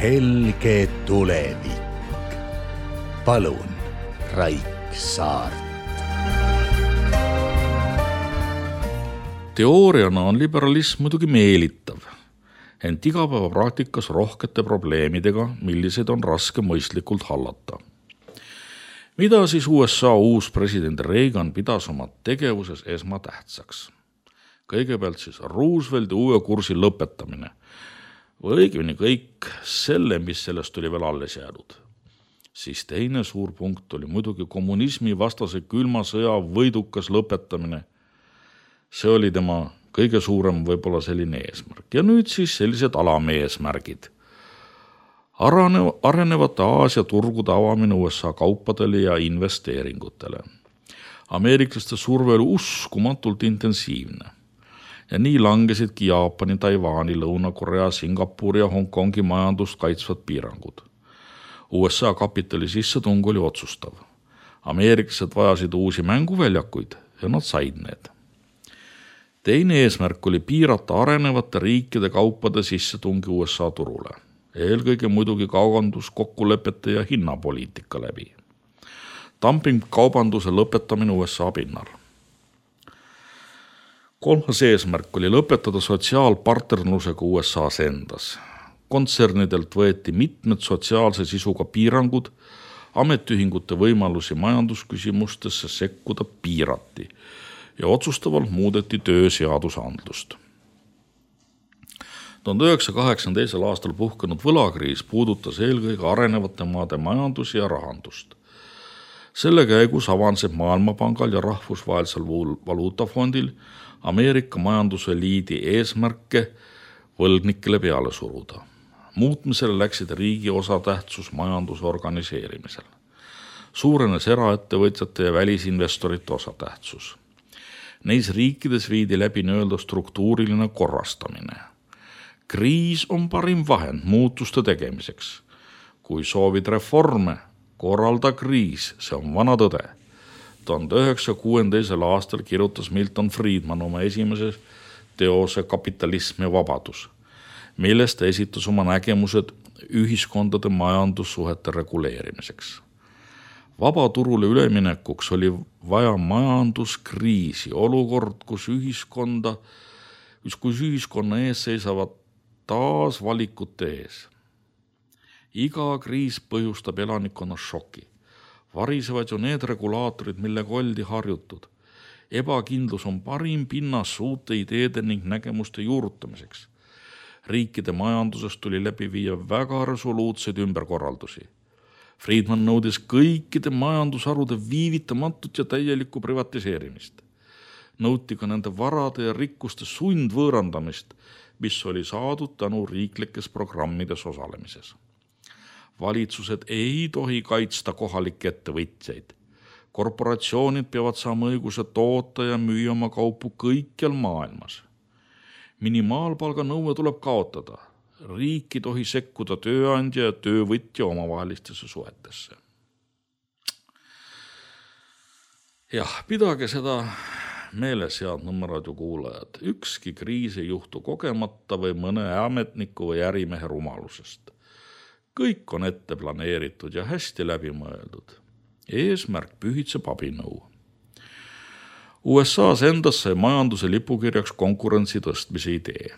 helge tulevik. Palun, Raik Saart. Teooriana on liberalism muidugi meelitav, ent igapäevapraktikas rohkete probleemidega, millised on raske mõistlikult hallata. Mida siis USA uus president Reagan pidas oma tegevuses esmatähtsaks? Kõigepealt siis Roosevelti uue kursi lõpetamine või õigemini kõik selle, mis sellest oli veel alles jäänud. Siis teine suur punkt oli muidugi kommunismi vastase külma sõja võidukas lõpetamine. See oli tema kõige suurem võib-olla selline eesmärk. Ja nüüd siis sellised alameesmärgid. Arenevate Aasia turgude avamine USA kaupadele ja investeeringutele. Ameeriklaste surve oli uskumatult intensiivne. Ja nii langesidki Jaapani, Taiwani, Lõuna-Korea, Singapuri ja Hongkongi majandust kaitsvad piirangud. USA kapitali sissetung oli otsustav. Ameeriklased vajasid uusi mänguväljakuid ja nad said need. Teine eesmärk oli piirata arenevate riikide kaupade sissetungi USA turule. Eelkõige muidugi kaubanduskokkulepete ja hinnapoliitika läbi. Dumping-kaubanduse lõpetamine USA pinnal. Kolmas eesmärk oli lõpetada sotsiaalpartnerlusega USA's endas. Kontsernidelt võeti mitmed sotsiaalse sisuga piirangud, ametiühingute võimalusi majandusküsimustesse sekkuda piirati ja otsustavalt muudeti tööseadusandlust. 1982. aastal puhkenud võlakriis puudutas eelkõige arenevate maade majandusi ja rahandust. Selle käigus avanseb Maailmapangal ja Rahvusvahelisel Valuutafondil Ameerika majanduseliidi eesmärke võlgnikele peale suruda. Muutmisele läksid riigi osatähtsus majanduse organiseerimisel. Suurenes eraettevõtjate ja välisinvestorite osatähtsus. Neis riikides viidi läbi nii-öelda struktuuriline korrastamine. Kriis on parim vahend muutuste tegemiseks. Kui soovid reforme, korralda kriis, see on vana tõde. 1906. aastal kirjutas Milton Friedman oma esimeses teose Kapitalism ja vabadus, millest ta esitas oma nägemused ühiskondade majandussuhete reguleerimiseks. Vabaturule üleminekuks oli vaja majanduskriisi, olukord, kus ühiskonna ees seisavad taas valikute ees. Iga kriis põhjustab elanikkonna šoki. Varisevad ju need regulaatorid, millega oldi harjutud. Ebakindlus on parim pinnas uute ideede ning nägemuste juurutamiseks. Riikide majandusest tuli läbi viia väga resoluutseid ümberkorraldusi. Friedman nõudis kõikide majandusharude viivitamatut ja täielikku privatiseerimist. Nõuti ka nende varade ja rikkuste sundvõõrandamist, mis oli saadud tänu riiklikes programmides osalemises. Valitsused ei tohi kaitsta kohalikke ettevõtjaid. Korporatsioonid peavad saama õiguse toota ja müüa oma kaupu kõikjal maailmas. Minimaalpalga nõue tuleb kaotada. Riik ei tohi sekkuda tööandja ja töövõtja omavahelistesse suhetesse. Jah, pidage seda meeles, head Nõmmeradio kuulajad. Ükski kriis ei juhtu kogemata või mõne ametniku või ärimehe rumalusest. Kõik on ette planeeritud ja hästi läbi mõeldud. Eesmärk pühitseb abinõu. USA's endas sai majanduse lipukirjaks konkurentsi tõstmise idee.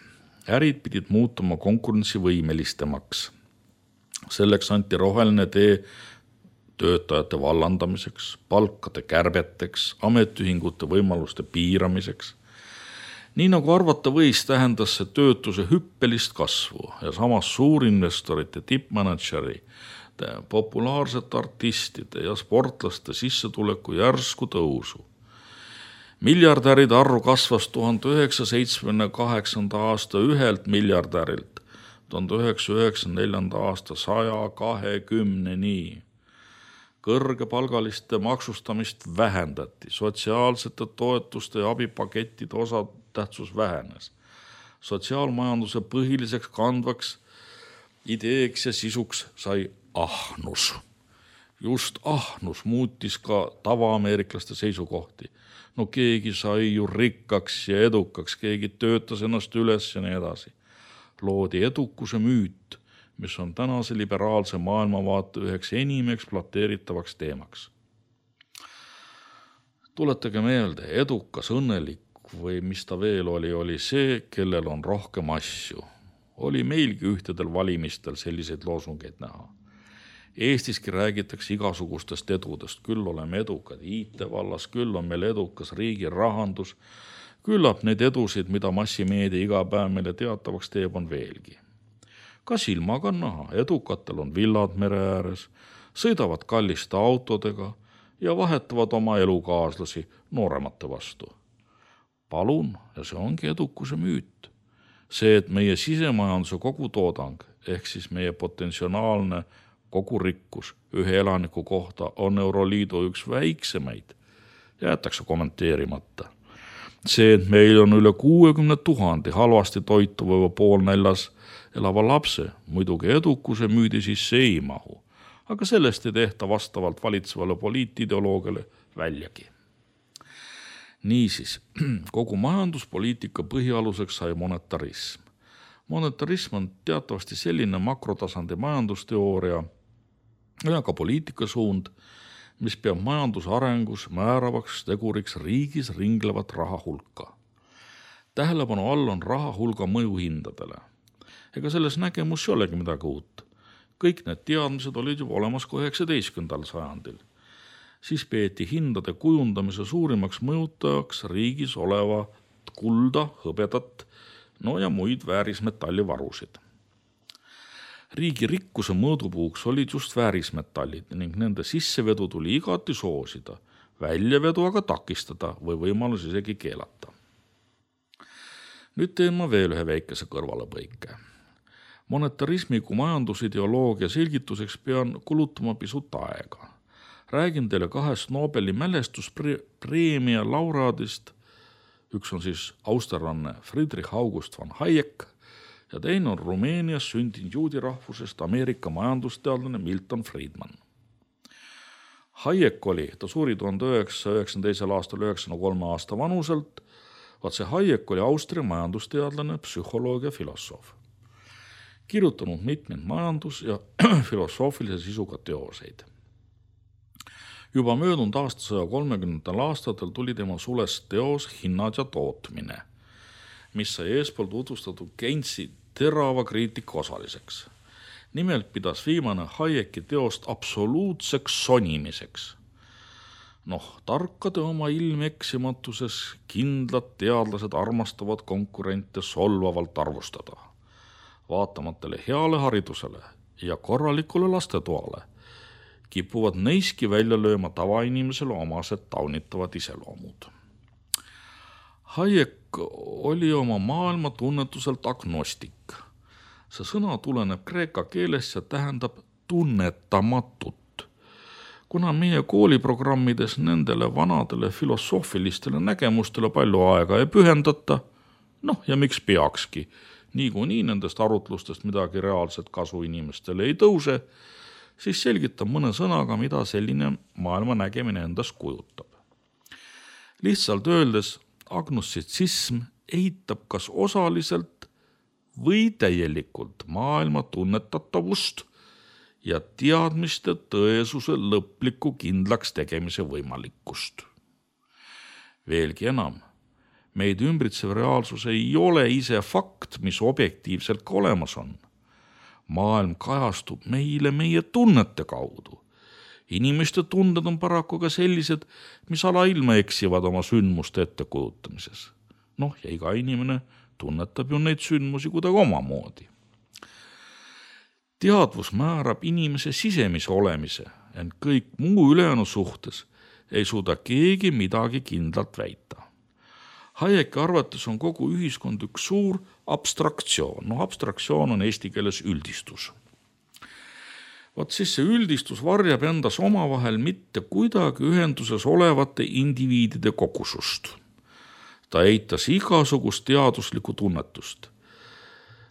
Ärid pidid muutuma konkurentsivõimelistemaks. Selleks anti roheline tee töötajate vallandamiseks, palkade kärbeteks, ametiühingute võimaluste piiramiseks. Nii nagu arvata võis, tähendas see töötuse hüppelist kasvu ja samas suurinvestorite, tippmanageri, populaarsete artistide ja sportlaste sissetuleku järsku tõusu. Miljardäride arv kasvas 1978. aasta 1 miljardärilt 1994. aasta 120-ni. Kõrgepalgaliste maksustamist vähendati, sotsiaalsete toetuste ja abipakettide osatähtsus vähenes. Sotsiaalmajanduse põhiliseks kandvaks ideeks ja sisuks sai ahnus. Just ahnus muutis ka tavaameeriklaste seisukohti. No keegi sai ju rikkaks ja edukaks, keegi töötas ennast üles ja nii edasi. Loodi edukuse müüt, mis on tänase liberaalse maailmavaate üheks enim ekspluateeritavaks teemaks. Tuletage meelde, edukas, õnnelik või mis ta veel oli see, kellel on rohkem asju. Oli meilgi ühtedel valimistel selliseid loosungeid näha. Eestiski räägitakse igasugustest edudest, küll oleme edukad IT-vallas, küll on meil edukas riigi rahandus, küllap neid edusid, mida massimeedia iga päev meile teatavaks teeb, on veelgi. Ka silmaga on näha, edukatel on villad mere ääres, sõidavad kalliste autodega ja vahetavad oma elukaaslasi nooremate vastu. Palun, ja see ongi edukuse müüt. See, et meie sisemajanduse kogutoodang ehk siis meie potentsiaalne kogurikkus ühe elaniku kohta on Euroliidu üks väiksemaid, jäetakse kommenteerimata. See, et meil on üle 60 000 halvasti toituva või poolnäljas elava lapse, muidugi edukuse müüdi sisse ei mahu, aga sellest ei tehta vastavalt valitsevale poliitideoloogiale väljagi. Niisiis, kogu majanduspoliitika põhialuseks sai monetarism. Monetarism on teatavasti selline makrotasandi majandusteooria ja ka poliitikasuund, mis peab majanduse arengus määravaks teguriks riigis ringlevat raha hulka. Tähelepanu all on raha hulga mõju hindadele. Ega selles nägemus ei olegi midagi uut. Kõik need teadmised olid juba olemas ka 19. sajandil. Siis peeti hindade kujundamise suurimaks mõjutajaks riigis olevat kulda, hõbedat, ja muid väärismetallivarusid. Riigi rikkuse mõõdupuuks olid just väärismetallid ning nende sissevedu tuli igati soosida, väljavedu aga takistada või võimalus isegi keelata. Nüüd teen ma veel ühe väikese kõrvalepõike. Monetarismi kui majandusideoloogia selgituseks pean kulutama pisut aega. Räägin teile 2 Nobeli mälestuspreemia laureaadist. Üks on siis austerlanne Friedrich August von Hayek ja teine on Rumeenias sündinud juudi rahvusest Ameerika majandusteadlane Milton Friedman. Hayek ta suri 1992. aastal 93 aasta vanuselt. See Hayek oli Austria majandusteadlane, psühholoog ja filosoof. Kirjutanud mitmeid majandus- ja filosoofilise sisuga teoseid. Juba möödunud aasta 130. aastatel tuli tema sulest teos Hinnad ja tootmine, mis sai eespool tutvustatud Keynesi terava kriitika osaliseks. Nimelt pidas viimane Hayeki teost absoluutseks sonimiseks. Tarkade oma ilmeksimatuses kindlad teadlased armastavad konkurente solvavalt arvustada. Vaatamatele heale haridusele ja korralikule lastetoale kipuvad neiski välja lööma tavainimesele omased taunitavad iseloomud. Hayek oli oma maailma tunnetuselt agnostik. See sõna tuleneb kreeka keelest ja tähendab tunnetamatut. Kuna meie kooliprogrammides nendele vanadele filosoofilistele nägemustele palju aega ei pühendata, ja miks peakski, niikuinii nendest arutlustest midagi reaalset kasu inimestele ei tõuse, siis selgitab mõne sõnaga, mida selline maailma nägemine endast kujutab. Lihtsalt öeldes, agnostitsism eitab kas osaliselt või täielikult maailma tunnetatavust ja teadmiste tõesuse lõpliku kindlaks tegemise võimalikkust. Veelgi enam, meid ümbritsev reaalsus ei ole ise fakt, mis objektiivselt ka olemas on. Maailm kajastub meile meie tunnete kaudu. Inimeste tunded on paraku ka sellised, mis alailma eksivad oma sündmuste ettekujutamises. Ja iga inimene tunnetab ju neid sündmusi kuidagi omamoodi. Teadvus määrab inimese sisemise olemise, ent kõik muu ülejäänu suhtes ei suuda keegi midagi kindlalt väita. Hayeki arvates on kogu ühiskond üks suur abstraktsioon. Abstraktsioon on eesti keeles üldistus. Siis see üldistus varjab endas omavahel mitte kuidagi ühenduses olevate indiviidide kogusust. Ta eitas igasugust teaduslikku tunnetust.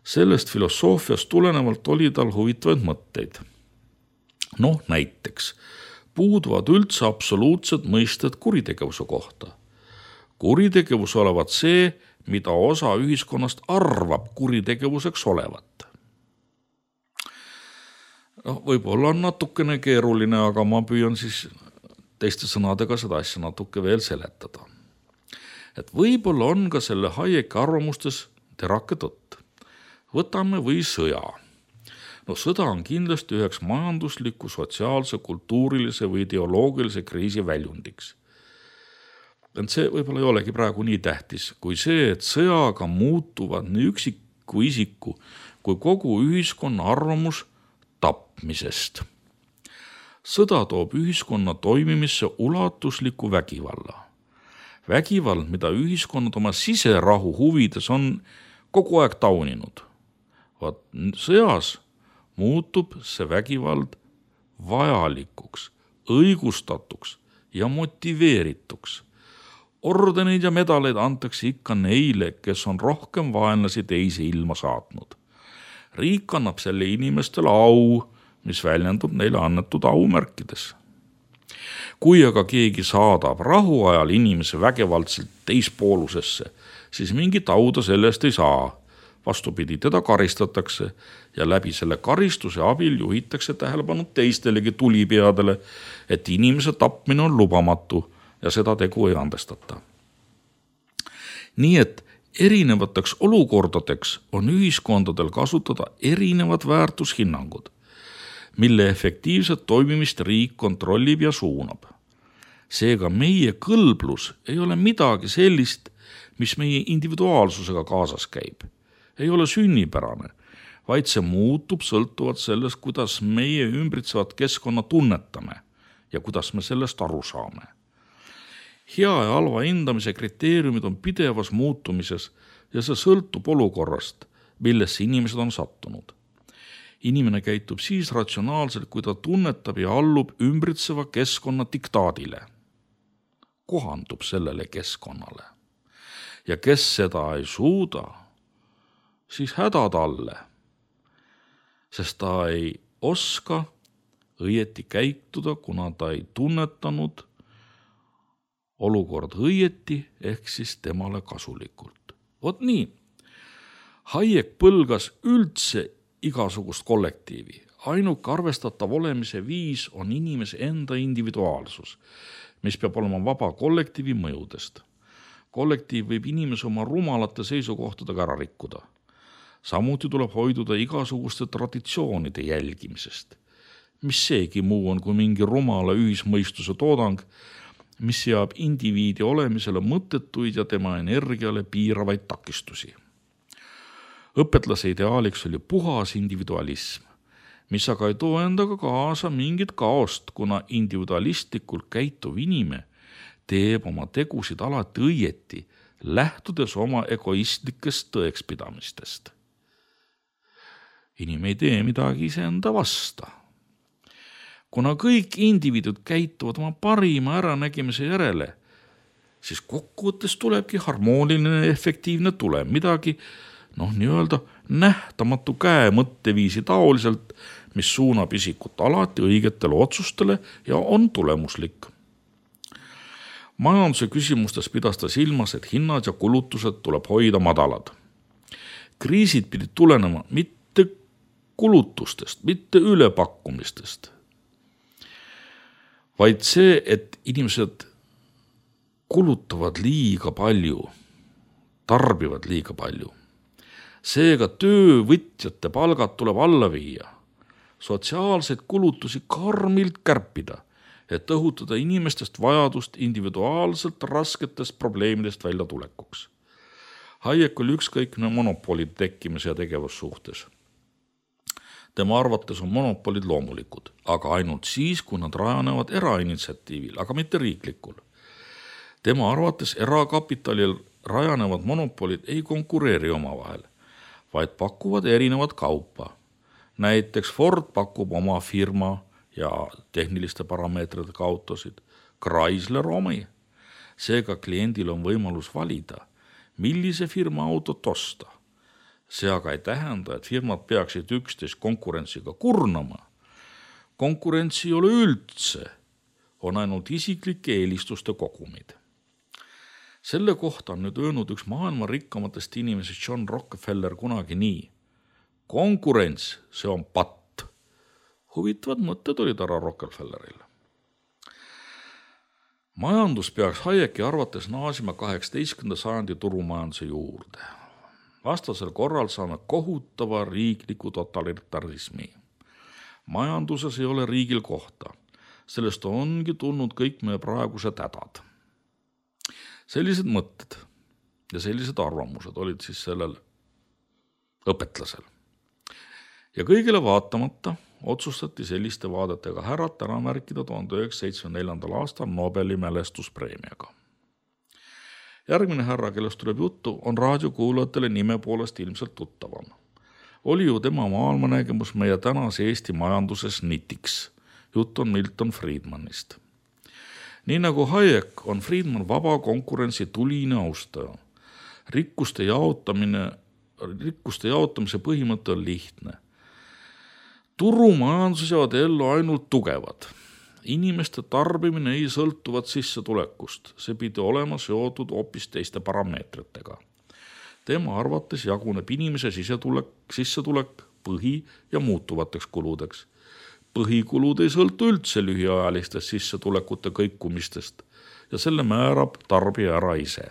Sellest filosoofiast tulenevalt oli tal huvitavaid mõtteid. Näiteks puuduvad üldse absoluutsed mõisted kuritegevuse kohta. Kuritegevus olevat see, mida osa ühiskonnast arvab kuritegevuseks olevat. Võib-olla on natukene keeruline, aga ma püüan siis teiste sõnadega seda asja natuke veel seletada. Et võib-olla on ka selle Hayeki arvamustes terake tõtt. Võtame või sõja. Sõda on kindlasti üheks majandusliku, sotsiaalse, kultuurilise või ideoloogilise kriisi väljundiks. Ent see võib-olla ei olegi praegu nii tähtis, kui see, et sõjaga muutuvad nii üksiku isiku kui kogu ühiskonna arvamus tapmisest. Sõda toob ühiskonna toimimisse ulatusliku vägivalla. Vägivald, mida ühiskonnad oma siserahu huvides on kogu aeg tauninud. Sõjas muutub see vägivald vajalikuks, õigustatuks ja motiveerituks. Ordeneid ja medaleid antakse ikka neile, kes on rohkem vaenlasi teisi ilma saatnud. Riik annab selle inimestele au, mis väljendub neile annetud aumärkides. Kui aga keegi saadab rahuajal inimese vägivaldselt teispoolusesse, siis mingit auda sellest ei saa. Vastupidi, teda karistatakse ja läbi selle karistuse abil juhitakse tähelepanu teistelegi tulipeadele, et inimese tapmine on lubamatu ja seda tegu ei andestata. Nii et erinevateks olukordadeks on ühiskondadel kasutada erinevad väärtushinnangud, mille efektiivset toimimist riik kontrollib ja suunab. Seega meie kõlblus ei ole midagi sellist, mis meie individuaalsusega kaasas käib. Ei ole sünnipärane, vaid see muutub sõltuvalt sellest, kuidas meie ümbritsevat keskkonna tunnetame ja kuidas me sellest aru saame. Hea ja halva hindamise kriteeriumid on pidevas muutumises ja see sõltub olukorrast, millesse inimesed on sattunud. Inimene käitub siis ratsionaalselt, kui ta tunnetab ja allub ümbritseva keskkonna diktaadile. Kohandub sellele keskkonnale. Ja kes seda ei suuda, siis häda talle, sest ta ei oska õieti käituda, kuna ta ei tunnetanud olukord õieti ehk siis temale kasulikult. Vot nii. Hayek põlgas üldse igasugust kollektiivi. Ainuke arvestatav olemise viis on inimese enda individuaalsus, mis peab olema vaba kollektiivi mõjudest. Kollektiiv võib inimese oma rumalate seisukohtadega ära rikkuda. Samuti tuleb hoiduda igasuguste traditsioonide jälgimisest. Mis seegi muu on kui mingi rumala ühismõistuse toodang, mis seab indiviidi olemisele mõttetuid ja tema energiale piiravaid takistusi. Õpetlase ideaaliks oli puhas individualism, mis aga ei too endaga kaasa mingit kaost, kuna individualistlikult käituv inimene teeb oma tegusid alati õieti, lähtudes oma egoistlikest tõekspidamistest. Inimene ei tee midagi iseenda vasta. Kuna kõik indiviidud käituvad oma parima äranägimise järele, siis kokkuvõttes tulebki harmooniline efektiivne tulem, midagi nii-öelda nähtamatu käe mõtteviisi taoliselt, mis suunab isikut alati õigetele otsustele ja on tulemuslik. Majanduse küsimustes pidas ta silmas, et hinnad ja kulutused tuleb hoida madalad. Kriisid pidid tulenema mitte kulutustest, mitte ülepakkumistest, vaid see, et inimesed kulutavad liiga palju, tarbivad liiga palju. Seega töövõtjate palgad tuleb alla viia, sotsiaalseid kulutusi karmilt kärpida, et õhutada inimestest vajadust individuaalselt rasketest probleemidest välja tulekuks. Hayek oli ükskõikne monopolid tekkimise ja tegevussuhtes. Tema arvates on monopolid loomulikud, aga ainult siis, kui nad rajanevad erainitsiatiivil, aga mitte riiklikul. Tema arvates erakapitalil rajanevad monopolid ei konkureeri omavahel, vaid pakuvad erinevat kaupa. Näiteks Ford pakub oma firma ja tehniliste parameetrite autosid, Chrysler omi. Seega kliendil on võimalus valida, millise firma autot osta. See aga ei tähenda, et firmad peaksid üksteist konkurentsiga kurnama. Konkurentsi ei ole üldse, on ainult isiklike eelistuste kogumid. Selle kohta on nüüd öelnud üks maailma rikkamatest inimesest John Rockefeller kunagi nii. Konkurents, see on patt. Huvitavad mõtted olid härra Rockefelleril. Majandus peaks Hayeki arvates naasima 18. sajandi turumajanduse juurde. Vastasel korral saame kohutava riikliku totalitarismi. Majanduses ei ole riigil kohta. Sellest ongi tulnud kõik meie praegused hädad. Sellised mõtted ja sellised arvamused olid siis sellel õpetlasel. Ja kõigile vaatamata otsustati selliste vaadetega härrat ära märkida 1974. aastal Nobeli mälestuspreemiaga. Järgmine härra, kellest tuleb juttu, on raadiokuulajatele nime poolest ilmselt tuttavam. Oli ju tema maailmanägemus meie tänase Eesti majanduses nitiks. Jutt on Milton Friedmanist. Nii nagu Hayek on Friedman vaba konkurentsi tuline austaja. Rikkuste jaotamise põhimõte on lihtne. Turumajanduses jäävad ellu ainult tugevad. Inimeste tarbimine ei sõltuvat sissetulekust. See pidi olema seotud hoopis teiste parameetritega. Tema arvates jaguneb inimese sissetulek põhi- ja muutuvateks kuludeks. Põhikulud ei sõltu üldse lühiajalistest sissetulekute kõikumistest ja selle määrab tarbija ära ise.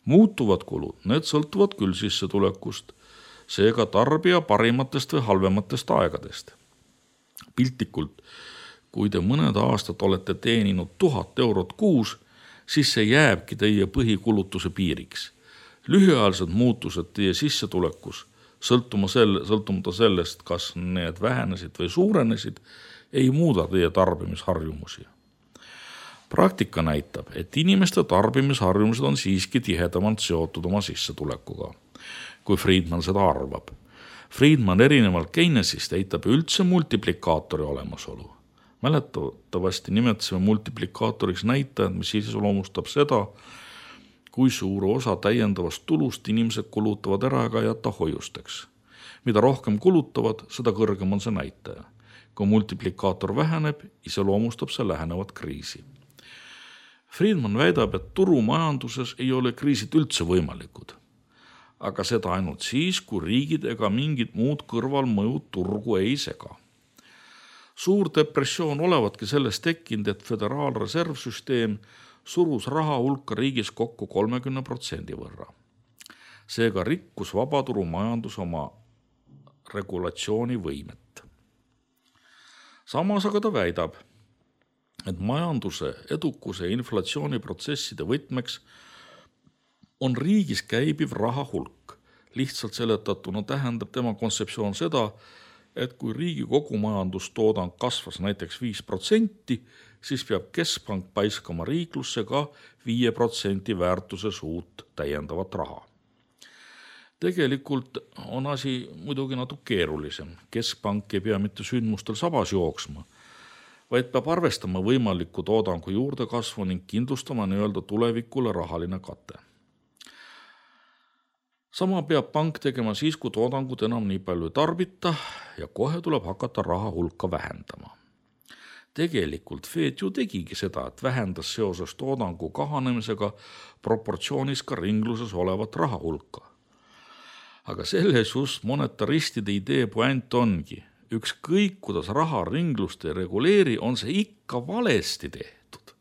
Muutuvad kulud, need sõltuvad küll sissetulekust, seega tarbija parimatest või halvematest aegadest. Piltlikult, kui te mõned aastad olete teeninud 1000 eurot kuus, siis see jääbki teie põhikulutuse piiriks. Lühiajalised muutused teie sissetulekus, sõltumata sellest, kas need vähenesid või suurenesid, ei muuda teie tarbimisharjumusi. Praktika näitab, et inimeste tarbimisharjumused on siiski tihedamalt seotud oma sissetulekuga, kui Friedman seda arvab. Friedman erinevalt Keynesist eitab üldse multiplikaatori olemasolu. Mäletatavasti nimetasime multiplikaatoriks näitajad, mis iseloomustab seda, kui suur osa täiendavast tulust inimesed kulutavad ära ega jätta hoiusteks. Mida rohkem kulutavad, seda kõrgem on see näitaja. Kui multiplikaator väheneb, iseloomustab see lähenevat kriisi. Friedman väidab, et turumajanduses ei ole kriisid üldse võimalikud. Aga seda ainult siis, kui riigid ega mingid muud kõrvalmõjud turgu ei sega. Suur depressioon olevatki sellest tekkinud, et föderaalreservsüsteem surus raha hulka riigis kokku 30% võrra. Seega rikkus vabaturumajandus oma regulatsiooni võimet. Samas aga ta väidab, et majanduse, edukuse ja inflatsiooniprotsesside võtmeks on riigis käibiv raha hulk. Lihtsalt seletatuna tähendab tema kontseptsioon seda, et kui riigi kogumajandustoodang kasvas näiteks 5%, siis peab keskpank paiskama riiklusse ka 5% väärtuses uut täiendavat raha. Tegelikult on asi muidugi natuke keerulisem. Keskpank ei pea mitte sündmustel sabas jooksma, vaid peab arvestama võimaliku toodangu juurdekasvu ning kindlustama nii-öelda tulevikule rahaline kate. Sama peab pank tegema siis, kui toodangut enam nii palju ei tarbita ja kohe tuleb hakata raha hulka vähendama. Tegelikult Fed ju tegigi seda, et vähendas seoses toodangu kahanemisega proportsioonis ka ringluses olevat raha hulka. Aga selles just monetaristide idee puänt ongi. Ükskõik, kuidas raha ringlust ei reguleeri, on see ikka valesti tehtud.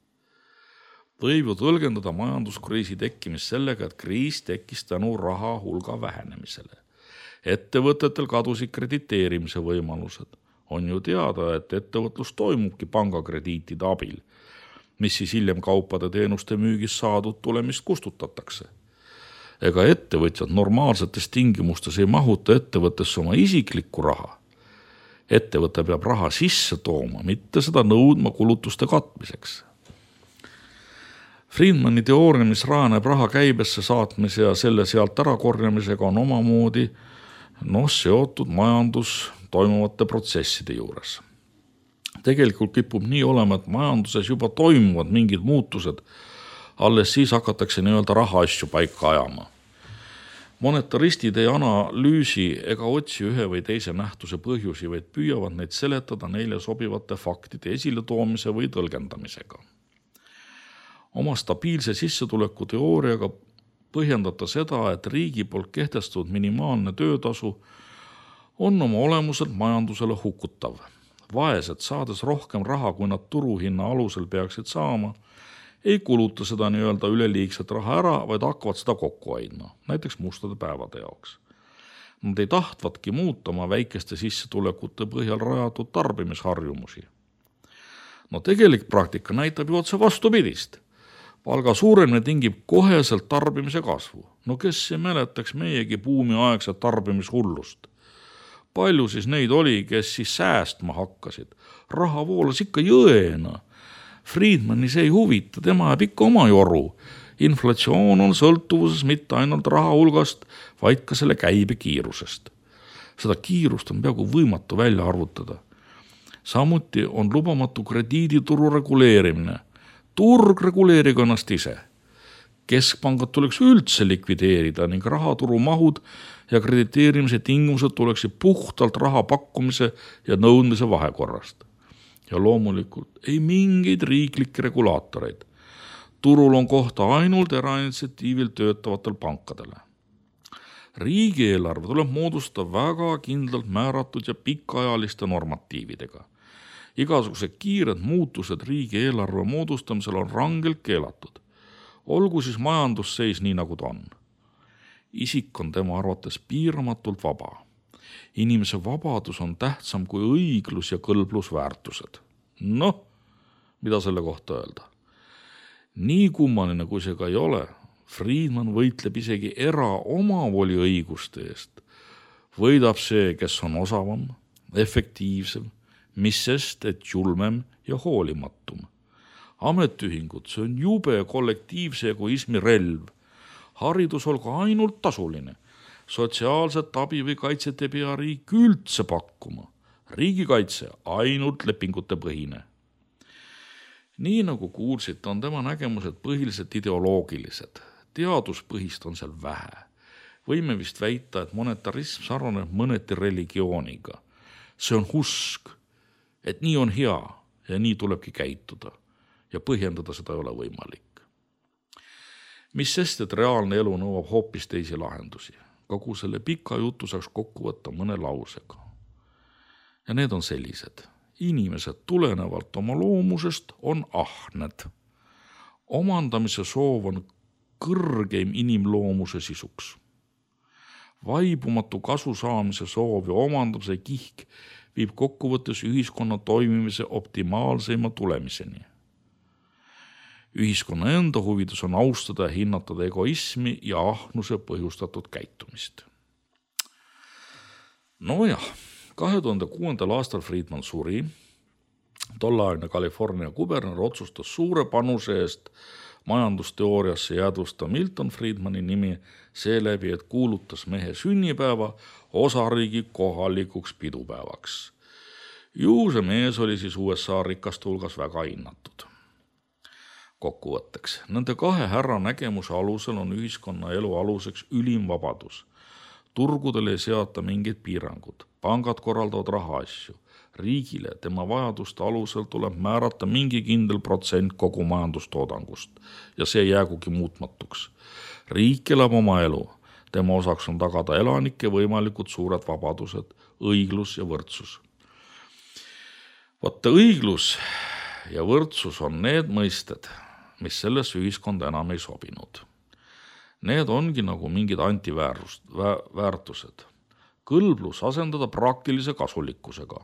Võib ju tõlgendada majanduskriisi tekkimist sellega, et kriis tekkis tänu raha hulga vähenemisele. Ettevõtetel kadusid krediteerimise võimalused. On ju teada, et ettevõtlus toimubki pangakrediitide abil, mis siis hiljem kaupade teenuste müügis saadud tulemist kustutatakse. Ega ettevõtjad normaalsetes tingimustes ei mahuta ettevõttesse oma isiklikku raha. Ettevõte peab raha sisse tooma, mitte seda nõudma kulutuste katmiseks. Friedmani teooria, mis rajaneb raha käibesse saatmise ja selle sealt ära korjamisega, on omamoodi seotud majandus toimuvate protsesside juures. Tegelikult kipub nii olema, et majanduses juba toimuvad mingid muutused, alles siis hakatakse nii-öelda rahaasju paika ajama. Monetaristid ei analüüsi ega otsi ühe või teise nähtuse põhjusi, vaid püüavad neid seletada neile sobivate faktide esiletoomise või tõlgendamisega. Oma stabiilse sissetuleku teooriaga põhjendata seda, et riigi poolt kehtestatud minimaalne töötasu on oma olemuselt majandusele hukutav. Vaesed, saades rohkem raha, kui nad turuhinna alusel peaksid saama, ei kuluta seda nii-öelda üleliigset raha ära, vaid hakkavad seda kokku hoidma, näiteks mustade päevade jaoks. Nad ei tahtvatki muuta oma väikeste sissetulekute põhjal rajatud tarbimisharjumusi. No tegelik praktika näitab ju otse vastupidist. Palga suuremine tingib koheselt tarbimise kasvu. No kes ei mäletaks meiegi buumiaegset tarbimishullust? Palju siis neid oli, kes siis säästma hakkasid? Raha voolas ikka jõena. Friedmani see ei huvita, tema jääb ikka oma joru. Inflatsioon on sõltuvuses mitte ainult raha hulgast, vaid ka selle käibe kiirusest. Seda kiirust on peaaegu võimatu välja arvutada. Samuti on lubamatu krediidituru reguleerimine. Turg reguleeriga ennast ise. Keskpangad tuleks üldse likvideerida ning rahaturu mahud ja krediteerimise tingimused tuleksid puhtalt raha pakkumise ja nõudmise vahekorrast. Ja loomulikult ei mingeid riiklikke regulaatoreid. Turul on kohta ainult erainitsiatiivil töötavatel pankadele. Riigieelarve tuleb moodustada väga kindlalt määratud ja pikaajaliste normatiividega. Igasugused kiired muutused riigieelarve moodustamisel on rangelt keelatud. Olgu siis majandusseis nii, nagu ta on. Isik on tema arvates piiramatult vaba. Inimese vabadus on tähtsam kui õiglus ja kõlblusväärtused. Noh, mida selle kohta öelda? Nii kummaline kui see ka ei ole, Friedman võitleb isegi omavoli õiguste eest. Võidab see, kes on osavam, efektiivsem, mis sest, et julmem ja hoolimatum. Ametiühingud, see on jube kollektiivse egoismi relv. Haridus olgu ainult tasuline. Sotsiaalset abi või kaitset ei pea riik üldse pakkuma. Riigikaitse ainult lepingute põhine. Nii nagu kuulsite, on tema nägemused põhiliselt ideoloogilised. Teaduspõhist on seal vähe. Võime vist väita, et monetarism sarnaneb mõneti religiooniga. See on usk, et nii on hea ja nii tulebki käituda ja põhjendada seda ei ole võimalik. Mis sest, et reaalne elu nõuab hoopis teisi lahendusi. Kogu selle pika jutu saaks kokku võtta mõne lausega. Ja need on sellised. Inimesed tulenevalt oma loomusest on ahned. Omandamise soov on kõrgeim inimloomuse sisuks. Vaibumatu kasu saamise soov ja omandamise kihk viib kokkuvõttes ühiskonna toimimise optimaalseima tulemiseni. Ühiskonna enda huvides on austada ja hinnatada egoismi ja ahnuse põhjustatud käitumist. Nojah, 2006. aastal Friedman suri. Tolleaegne California kuberner otsustas suure panuse eest majandusteooriasse jäädvusta Milton Friedmani nimi seeläbi, et kuulutas mehe sünnipäeva osariigi kohalikuks pidupäevaks. Ju see mees oli siis USA rikaste hulgas väga hinnatud. Kokkuvõtteks, nende kahe härra nägemuse alusel on ühiskonna elu aluseks ülim vabadus. Turgudel ei seata mingid piirangud, pangad korraldavad rahaasju. Riigile tema vajaduste alusel tuleb määrata mingi kindel protsent kogu majandustoodangust ja see jäägugi muutmatuks. Riik elab oma elu, tema osaks on tagada elanike võimalikud suured vabadused, õiglus ja võrdsus. Vaata, õiglus ja võrdsus on need mõisted, mis sellesse ühiskonda enam ei sobinud. Need ongi nagu mingid antiväärtused. Kõlblus asendada praktilise kasulikkusega.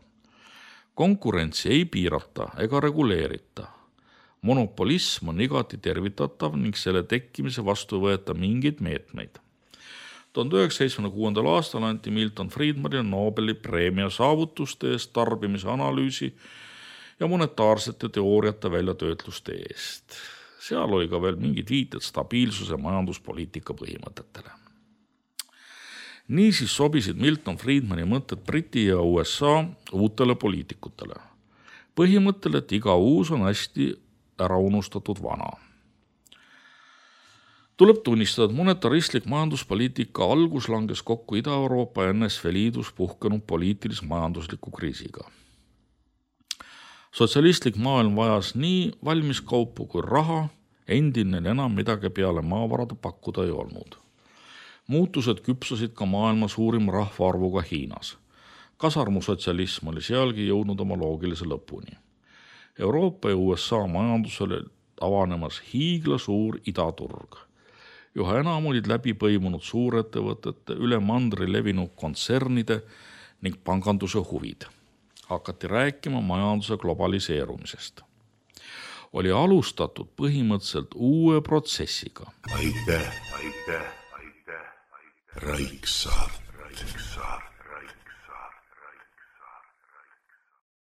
Konkurentsi ei piirata ega reguleerita. Monopolism on igati tervitatav ning selle tekkimise vastu võeta mingeid meetmeid. 1976. aastal anti Milton Friedmanile Nobeli preemia saavutuste eest tarbimise analüüsi ja monetaarsete teooriate väljatöötluste eest. Seal oli ka veel mingid viited stabiilsuse majanduspoliitika põhimõtetele. Niisiis sobisid Milton Friedmani mõtted Briti ja USA uutele poliitikutele. Põhimõttel, et iga uus on hästi ära unustatud vana. Tuleb tunnistada, et monetaristlik majanduspoliitika algus langes kokku Ida-Euroopa ja NSV Liidus puhkenud poliitilis-majandusliku kriisiga. Sotsialistlik maailm vajas nii valmiskaupu kui raha, endine enam midagi peale maavarade pakkuda ei olnud. Muutused küpsasid ka maailma suurim rahvaarvuga Hiinas. Kasarmusotsialism oli sealgi jõudnud oma loogilise lõpuni. Euroopa ja USA majandusele avanemas hiiglasuur idaturg. Üha enam olid läbi põimunud suurettevõtete, üle mandri levinud kontsernide ning panganduse huvid. Hakati rääkima majanduse globaliseerumisest. Oli alustatud põhimõtteliselt uue protsessiga. Aitäh, Raik Saart.